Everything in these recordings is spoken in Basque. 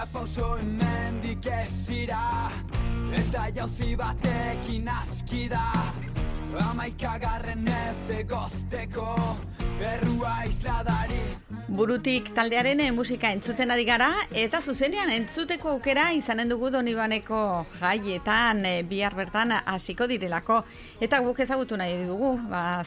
pauso hemendik esira, eta jauzi batekin aski da, 11 ez egozteko errua isladari. Burutik taldearen musika entzuten ari gara, eta zuzenean entzuteko aukera izanen dugu Donibaneko jaietan, bihar bertan hasiko direlako. Eta guk ezagutu nahi dugu,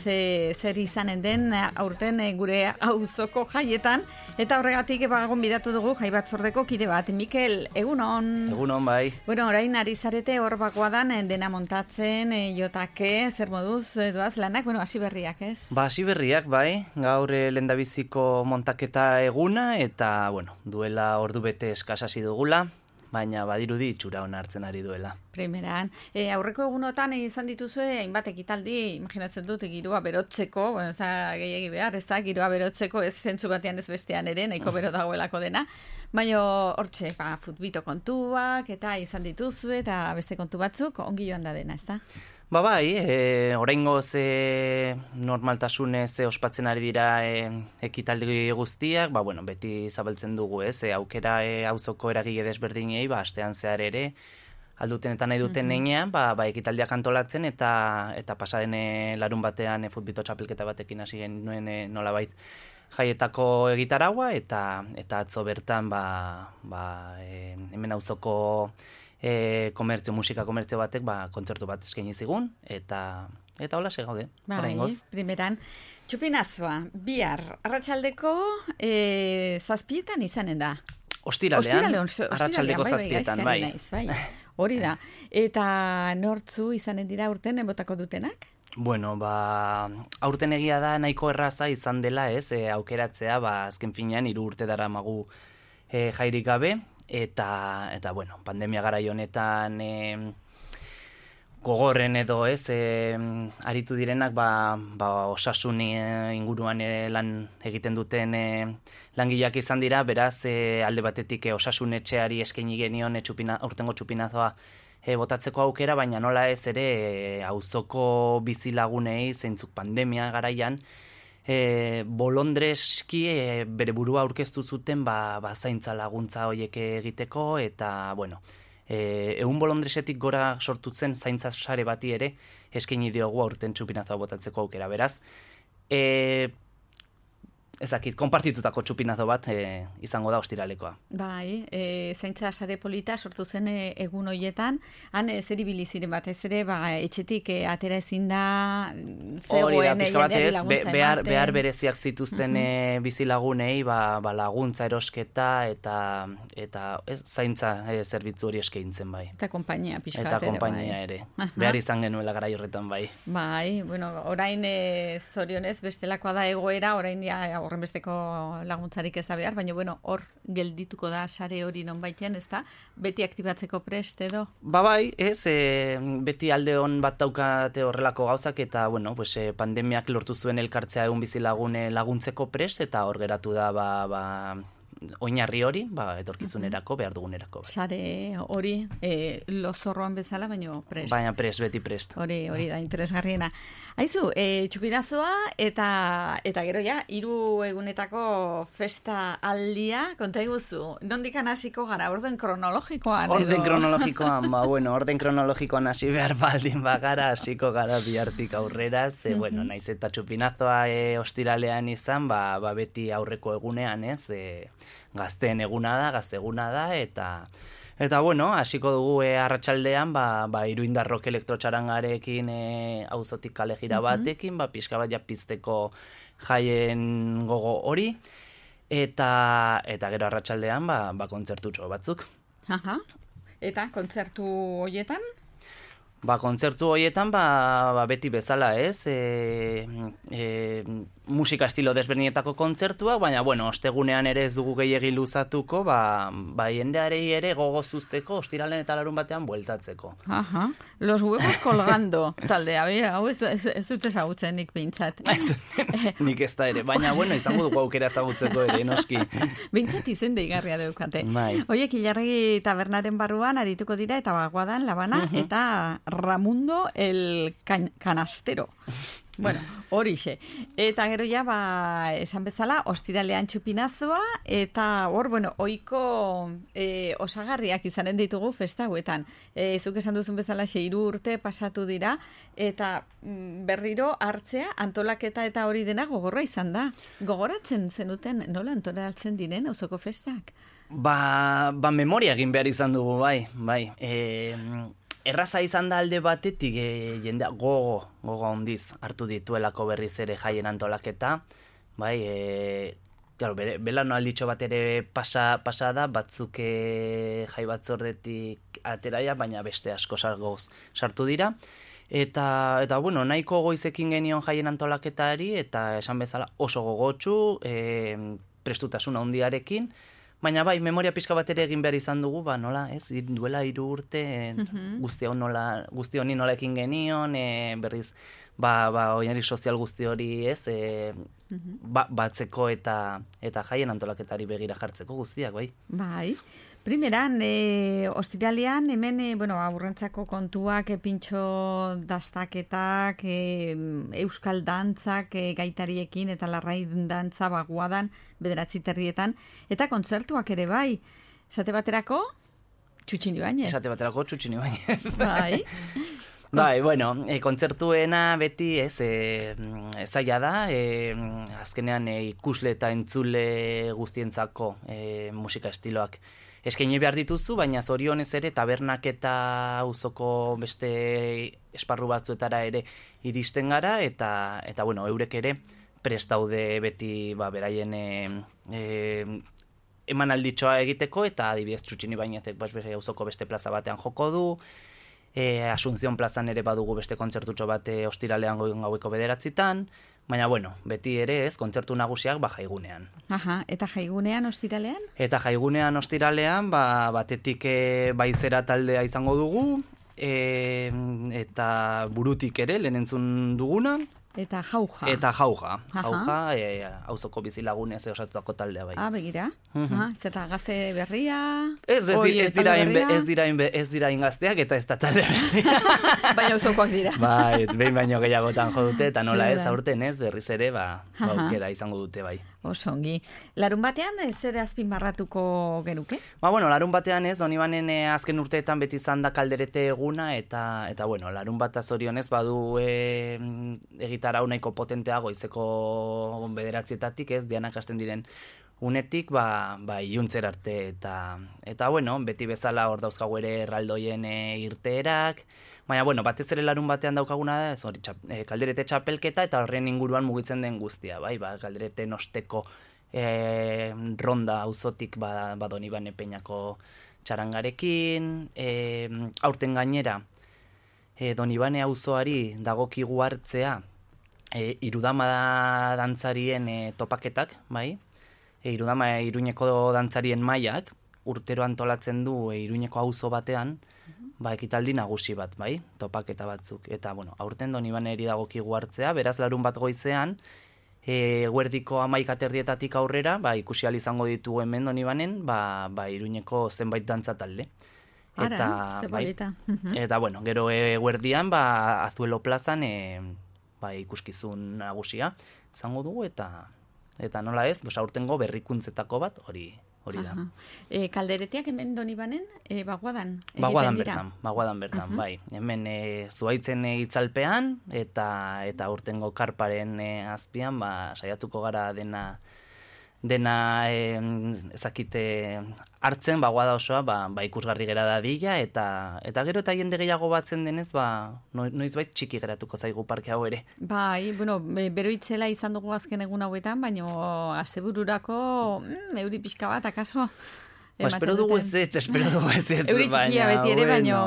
zer izanen den aurten gure auzoko jaietan, eta horregatik gonbidatu dugu jai batzordeko kide bat. Mikel, egunon? Egunon, bai. Bueno, orain ari zarete hor bakoadan dena montatzen, jotake, zer moduz doaz lanak, hasi berriak, ez? Hasi berriak, bai. Gaur lehendabiziko montaketa eguna, eta, duela ordu bete eskasasi dugula, baina badirudi itxura ona hartzen ari duela. Primeran. Aurreko egunotan izan dituzue, hainbat ekitaldi, imaginatzen dut, giroa berotzeko, gehiagi behar, ez da, giroa berotzeko, ez zentzu batean ez bestean ere, nahiko bero dagoelako dena, baina hortxe, futbito kontuak, eta izan dituzue, eta beste kontu batzuk, ongi joan da dena, ez da? Bai, oraingoz normaltasunez ospatzen ari dira ekitaldi guztiak, beti zabaltzen dugu, aukera auzoko eragile desberdinei, astean zehar ere, alduten eta nahi duten nenean, ekitaldiak antolatzen, eta pasaden larun batean futbito txapelketa batekin hasi genuen nolabait jaietako egitaragua, eta atzo bertan hemen auzoko musika komertzio batek kontzertu bat eskaini zigun, eta hola gaude. Primeran, txupinazoa, bihar, arratsaldeko zazpietan izanen da. Ostiralean, arratsaldeko zazpietan, bai. Hori da. Eta nortzu izanen dira urten botako dutenak? Aurten egia da nahiko erraza izan dela, aukeratzea, azken finean 3 urte daramagu jairik gabe, eta pandemia garai honetan gogorren edo aritu direnak osasun inguruan lan egiten duten langileak izan dira, beraz alde batetik osasun etxeari eskaini genion aurtengo txupinazoa botatzeko aukera, baina nola ez ere auzoko bizilagunei zeintzuk pandemia garaian bolondreski bere burua aurkeztu zuten zaintza laguntza horiek egiteko, eta egun bolondresetik gora sortutzen zaintza sare bati ere eskaini diogu aurten txupinazoa botatzeko aukera, beraz ezakit, konpartitutako txupinazo bat izango da ostiralekoa. Bai, zaintza sare polita sortu zen egun hoietan, han zer ibili ziren batez ere, etxetik atera ezin da zegoen jendeari laguntza ematen. Behar bereziak zituzten bizilagunei, laguntza erosketa eta zaintza zerbitzu hori eskaintzen, bai. Eta konpainia pixka bat ere, bai. Eta konpainia ere. Behar izan genuela garai horretan, bai. Bai, orain zorionez bestelakoa da egoera, orain horren besteko laguntzarik ez da behar, baina hor geldituko da sare hori nonbaitean, ez da? Beti aktibatzeko prest edo? Bai, beti alde hon bat daukate horrelako gauzak, eta pandemiak lortu zuen elkartzea egun bizilagune laguntzeko prest, eta hor geratu da oinarri hori, etorkizunerako, behar dugunerako. Sare hori, lozorroan bezala, baina prest. Baina prest, beti prest. Hori da, interesgarriena. Aizu, txupinazoa eta gero 3 egunetako festa aldia, konta iguzu, nondikan hasiko gara, orden kronologikoan? Orden kronologikoan hasi behar baldin bagara, hasiko gara bihartik aurrera, naiz eta txupinazoa ostiralean izan, beti aurreko egunean, gazteen eguna da, gazte eguna da, eta hasiko dugu arratsaldean, Iruindar rock elektrotxarangarekin auzotik kale jira batekin, pixka bat pizteko jaien gogo hori, eta gero arratsaldean, kontzertutxo batzuk. Eta kontzertu horietan? Kontzertu horietan, beti bezala, musika estilo desberdinetako kontzertua, baina, ostegunean ere ez dugu gehiegi luzatuko, jendearei ere gogozuzteko, ostiralen eta larun batean bueltatzeko. Los huevos colgando, taldea, hau ez dut ezagutzen nik behintzat. Nik ez da ere, baina, izango dugu aukera ezagutzeko ere, noski. Behintzat izen deigarria deukate. Oiek, Ilarregi tabernaren barruan arituko dira, eta bagoadan Labana, eta Ramundo el Canastero. Bueno, horixe. Eta gero ja, esan bezala, ostiralean txupinazoa, eta hor, bueno, oiko osagarriak izanen ditugu festa hauetan. Zuk esan duzun bezala 6 urte pasatu dira, eta berriro hartzea, antolaketa eta hori dena gogorra izan da. Gogoratzen zenuten, nola antolatzen diren auzoko festak? Memoria egin behar izan dugu, bai. Erraza izan da alde batetik jendea gogo handiz hartu dituelako berriz ere jaien antolaketa, bai, claro, belaunalditxo bat ere pasa da, batzuk jai batzordetik ateraia, baina beste asko sartu dira. Eta bueno, nahiko goizekin genion jaien antolaketari, eta esan bezala oso gogotsu, prestutasun handiarekin, baina bai, memoria pixka bat ere egin behar izan dugu, nola, duela 3 urte, guzti honi nola ekin genion, berriz, oinarri sozial guzti hori, batzeko eta jaien antolaketari begira jartzeko guztiak, bai. Bai. Primeran, ostiralean, hemen, aurrentzako kontuak, pintxo dastaketak, euskal dantzak, gaitariekin eta larrai dantza baguadan, 9 terrietan, eta kontzertuak ere bai. Esate baterako, Txutxin Ibañez. Bai. Bai, bueno, kontzertuena beti zaila da, azkenean ikusle eta entzule guztientzako musika estiloak eskaini behar dituzu, baina zorionez ere tabernak eta auzoko beste esparru batzuetara ere iristen gara, eta bueno, eurek ere prest daude beti beraien emanalditxoa egiteko, eta adibidez Txutxin Ibañezek auzoko beste plaza batean joko du, Asunción plazan ere badugu beste kontzertutxo bat ostiralean gaueko 9:00, baina bueno, beti ere kontzertu nagusiak jaigunean. Aha, eta jaigunean ostiralean? Eta jaigunean ostiralean, batetik baizera taldea izango dugu, eta burutik ere lehen entzun duguna. Eta jauja. Jauja, auzoko bizilagunez osatutako taldea bai. Begira. Zeta gazte berria? Ez dira ingazteak eta ez da talde berria. Baina auzokoak dira. Bai, behin baino gehiagotan jo dute, eta nola ez, aurten ez, berriz ere, aukera izango dute bai. Osongi. Larun batean, zer azpimarratuko genuke? Larun batean ez, Donibanen azken urteetan beti izan da kalderete eguna, eta bueno, larun bat zorionez badu egitarau nahiko potentea goizeko 9:00 ez, dianak hasten diren unetik, iluntzer arte, eta bueno, beti bezala hor dauzkagu ere erraldoien irteerak, baina bueno, batez ere larun batean daukaguna da, ez hori kalderete txapelketa, eta horren inguruan mugitzen den guztia, kalderete nosteko ronda auzotik Donibane Peñako txarangarekin, aurten gainera, Donibane auzoari dagokigu hartzea, irudama dantzarien topaketak, bai? Irudama Iruñeko dantzarien mailak, urtero antolatzen du Iruñeko auzo batean, ekitaldi nagusi bat, bai? Topaketa batzuk. Eta, bueno, aurten Donibaneri dagokigu hartzea, beraz larun bat goizean, eguerdiko 11:00 aurrera, ikusi ahal izango ditugu hemen Donibanen, Iruñeko zenbait dantza talde. Eta, bueno, gero eguerdian, Azuelo plazan, ikuskizun nagusia izango dugu, eta nola ez, aurtengo berrikuntzetako bat hori da. Kalderetiak hemen Donibanen, baguadan? Baguadan bertan, bai. Hemen zuaitzen itzalpean, eta aurtengo karparen azpian, saiatuko gara dena ezakite hartzen, baguada osoa, ikusgarri gera dadila, eta gero eta jende gehiago batzen denez, noizbait txiki geratuko zaigu parke hau ere. Bai, bueno, bero itzela izan dugu azken egun hauetan, baina astebururako euri pixka bat, akaso? Espero dugu ez. Euri txikia beti ere, baina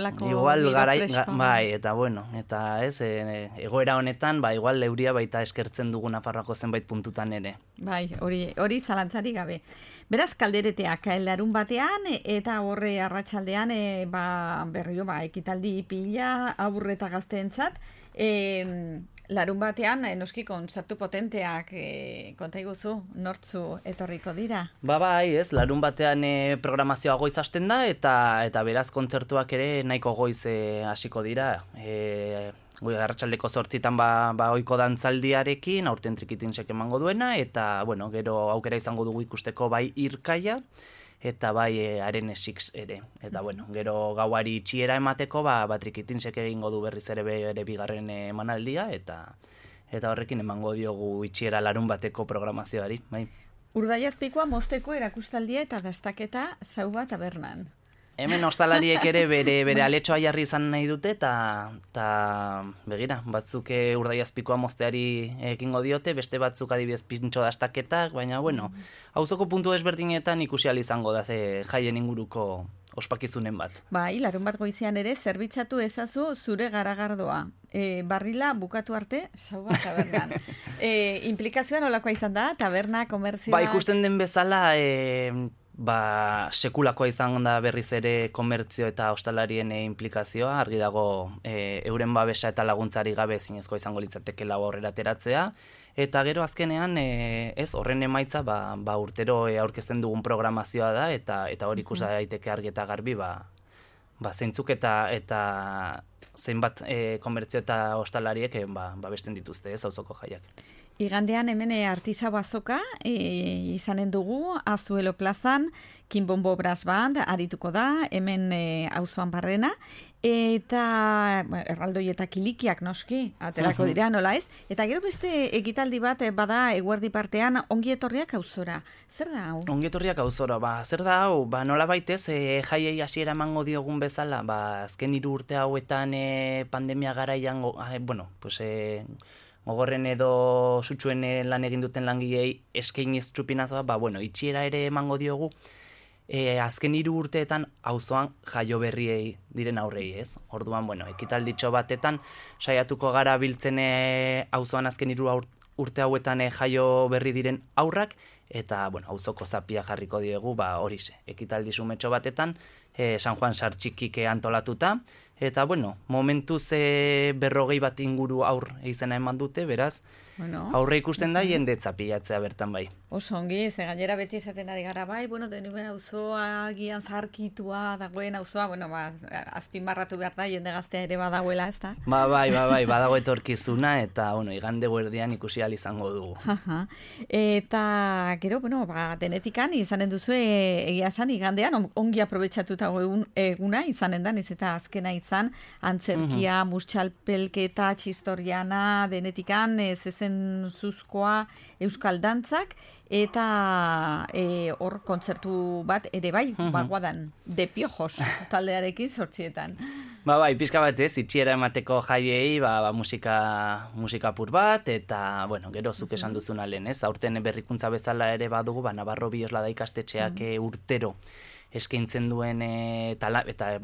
lako biro fresko. Bai, eta bueno, eta ez, egoera honetan, igual euria baita eskertzen dugu Nafarroako zenbait puntutan ere. Bai, hori zalantzari gabe. Beraz, kaldereteak larun batean, eta horre arratsaldean berriro ekitaldi pila, aurre eta gazteentzat, larun batean, noski kontzertu potenteak konta iguzu, nortzu etorriko dira? Bai, ez, larun batean programazioa goiz hasten da, eta beraz kontzertuak ere nahiko goiz hasiko dira. arratsaldeko 8 ba ohiko dantzaldiarekin, aurten trikitinsek emango duena, eta, bueno, gero aukera izango dugu ikusteko bai irkaia, eta bai haren esix ere. Eta, bueno, gero gauari itxiera emateko, ba trikitinsek egingo du berriz ere bere bigarren emanaldia, eta horrekin emango diogu itxiera larun bateko programazioari, bai. Urdaiazpikoa mozteko erakustaldia eta dastaketa Sauba tabernan. Hemen ostalariek ere bere aletxoa jarri izan nahi dute, eta begira, batzuk Urdaiazpikoa mozteari ekingo diote, beste batzuk adibidez pintxo dastaketak, baina, bueno, auzoko puntu ezberdinetan ikusi ahal izango da jaien inguruko ospakizunen bat. Bai, larun bat goizean ere zerbitzatu ezazu zure garagardoa. Barrila bukatu arte, Sauba tabernan. Implikazioa nolakoa izan da, taberna, komertzioa? Ba, ikusten den bezala, sekulakoa izan da berriz ere komertzio eta ostalarien implikazioa, argi dago euren babesa eta laguntzari gabe zinezkoa izango litzateke lau aurrera ateratzea, eta gero azkenean horren emaitza urtero aurkezten dugun programazioa da, eta hori ikusa daiteke argi eta garbi zeintzuk eta zenbat komertzio eta ostalariek besten dituzte auzoko jaiak. Igandean hemen artisa bazoka izanen dugu, Azuelo plazan, Kinbombo Brass Band arituko da, hemen auzoan barrena, eta erraldoi eta kilikiak noski, aterako dira, nola ez? Eta gero beste ekitaldi bat bada eguerdi partean ongi etorriak auzora. Zer da hau? Ongi etorriak auzora, zer da hau? Nola baitez, jaiei hasiera emango diogun bezala, azken 3 urte hauetan pandemia garaian, gogorren edo sutsuen lan egin duten langilei eskainiz txupinazoa, itxiera ere emango diogu, azken 3 urteetan auzoan jaio berriei diren aurrei, ez? Orduan, ekitalditxo batetan saiatuko gara biltzen auzoan azken 3 urte hauetan jaio berri diren aurrak, eta, auzoko zapia jarriko diegu, horixe, ekitaldi sumetxo batetan, San Juan Sartxikik antolatuta, eta, momentuz 40 bat inguru aur izena eman dute, beraz, aurre ikusten da jendetza pilatzea bertan bai. Oso ongi, ze gainera beti esaten ari gara bai, denuen auzoa gian zarkitua dagoen auzoa, azpimarratu behar da, jende gaztea ere badagoela, ez da? Bai, badago etorkizuna, eta, igande guerdian ikusi ahal izango dugu. Eta, gero, denetikan izanen duzu egia esan, igandean, ongi aprobetxatuta eguna izanen da, ez eta azkena izan, antzerkia, mustxalpelketa, txistoriana, denetikan, zezen zuzkoa, euskal dantzak, eta hor kontzertu bat ere bai, baguadan, de piojos, taldearekin 8etan. Bai, pixka bat ez, itxiera emateko jaiei, musika pur bat, eta, gero zuk esan duzuna lehen, ez? Aurten berrikuntza bezala ere badugu, Navarro Bioslada ikastetxeak urtero eskaintzen duen, eta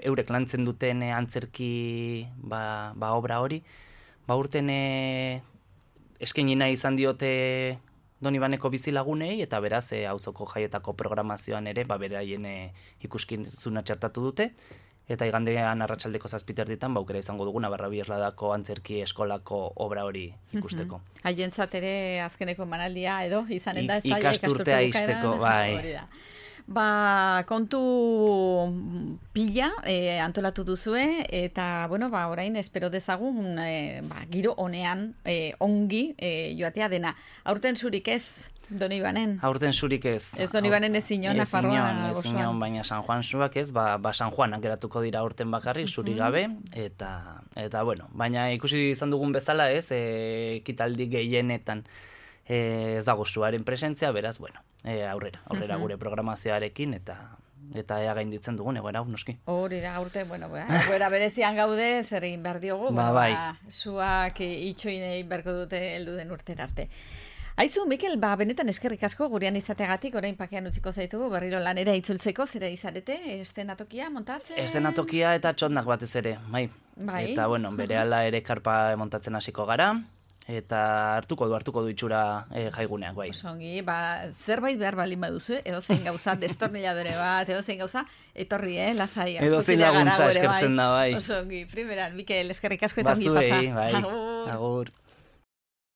eurek lantzen duten antzerki obra hori, urten eskainina izan diote Donibaneko bizilagunei, eta beraz auzoko jaietako programazioan ere beraien ikuskizuna txertatu dute, eta igandean arratsaldeko 7 aukera izango dugu Navarra Biosladako antzerki eskolako obra hori ikusteko. Haientzat ere azkeneko emanaldia edo izanen da, ikasturtea izteko, bai. Kontu pila antolatu duzue, eta, orain espero dezagun giro honean ongi joatea dena. Aurten zurik ez, Donibanen? Aurten zurik ez. Ez Donibanen ez inon, Nafarroa gozoan. Ez inon, baina San Juan zuak ez, San Juanak geratuko dira aurten bakarrik, zurik gabe, eta, baina ikusi izan dugun bezala ez, ekitaldi gehienetan ez dago zuaren presentzia, beraz, aurrera gure programazioarekin, eta ea gainditzen dugun, egoera, noski. Hori da, aurte, egoera berezian gaude, zer egin behar diogu, zuak itxoinei berko dute heldu den urtera arte. Aizu, Mikel, benetan eskerrik asko gurean izateagatik, orain pakean utziko zaitugu, berriro lanera itzultzeko, zera izarete, estenatokia montatzen? Estenatokia eta txondak batez ere, bai. Eta, berehala ere karpa montatzen hasiko gara, eta hartuko du itxura jaiguneak, bai. Osongi, zerbait behar balin baduzu, edo zein gauza, destorniladore bat, edo zein gauza, etorri, lasai. Edo zein laguntza eskertzen da, bai. Osongi, primeran, Mikel, eskerrik asko eta ongi pasa. Bazuei, bai. Agur.